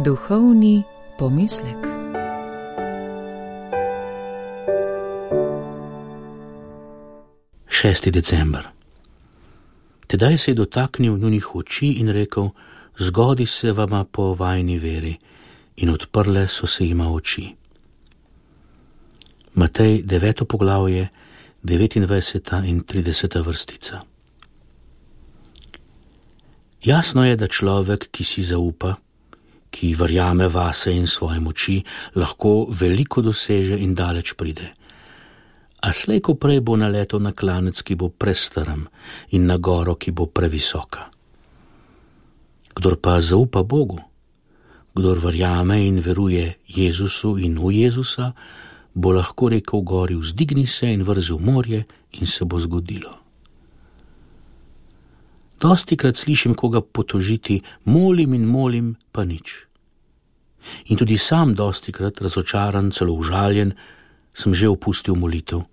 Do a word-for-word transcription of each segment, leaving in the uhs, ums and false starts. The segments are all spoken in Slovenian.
Duhovni pomislek. šesti december. Tedaj se je dotaknil njunih oči in rekel: zgodi se vama po vajni veri, in odprle so se jima oči. Matej deveto poglavje, devetindvajseta in trideseta vrstica. Jasno je, da človek, ki si zaupa, ki verjame vase in svoje moči, lahko veliko doseže in daleč pride. A slej ko prej bo naletel na klanec, ki bo prestrm, in na goro, ki bo previsoka. Kdor pa zaupa Bogu, kdor verjame in veruje Jezusu in v Jezusa, bo lahko rekel gori: vzdigni se in vrzi v morje, in se bo zgodilo. Dostikrat slišim koga potožiti: molim in molim, pa nič. In tudi sam dostikrat, razočaran, celo užaljen, sem že opustil molitev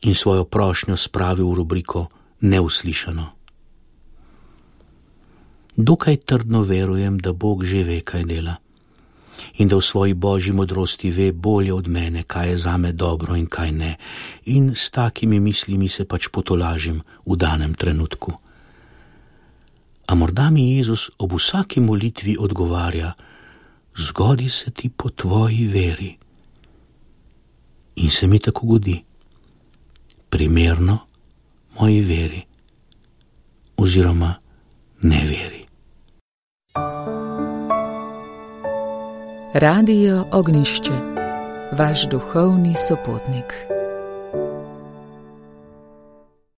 in svojo prošnjo spravil v rubriko neuslišano. Dokaj trdno verujem, da Bog že ve, kaj dela, in da v svoji božji modrosti ve bolje od mene, kaj je zame dobro in kaj ne, in s takimi mislimi se pač potolažim v danem trenutku. A morda mi Jezus ob vsaki molitvi odgovarja: zgodi se ti po tvoji veri. In se mi tako godi, primerno moji veri oziroma neveri. Radio Ognjišče, vaš duhovni sopotnik.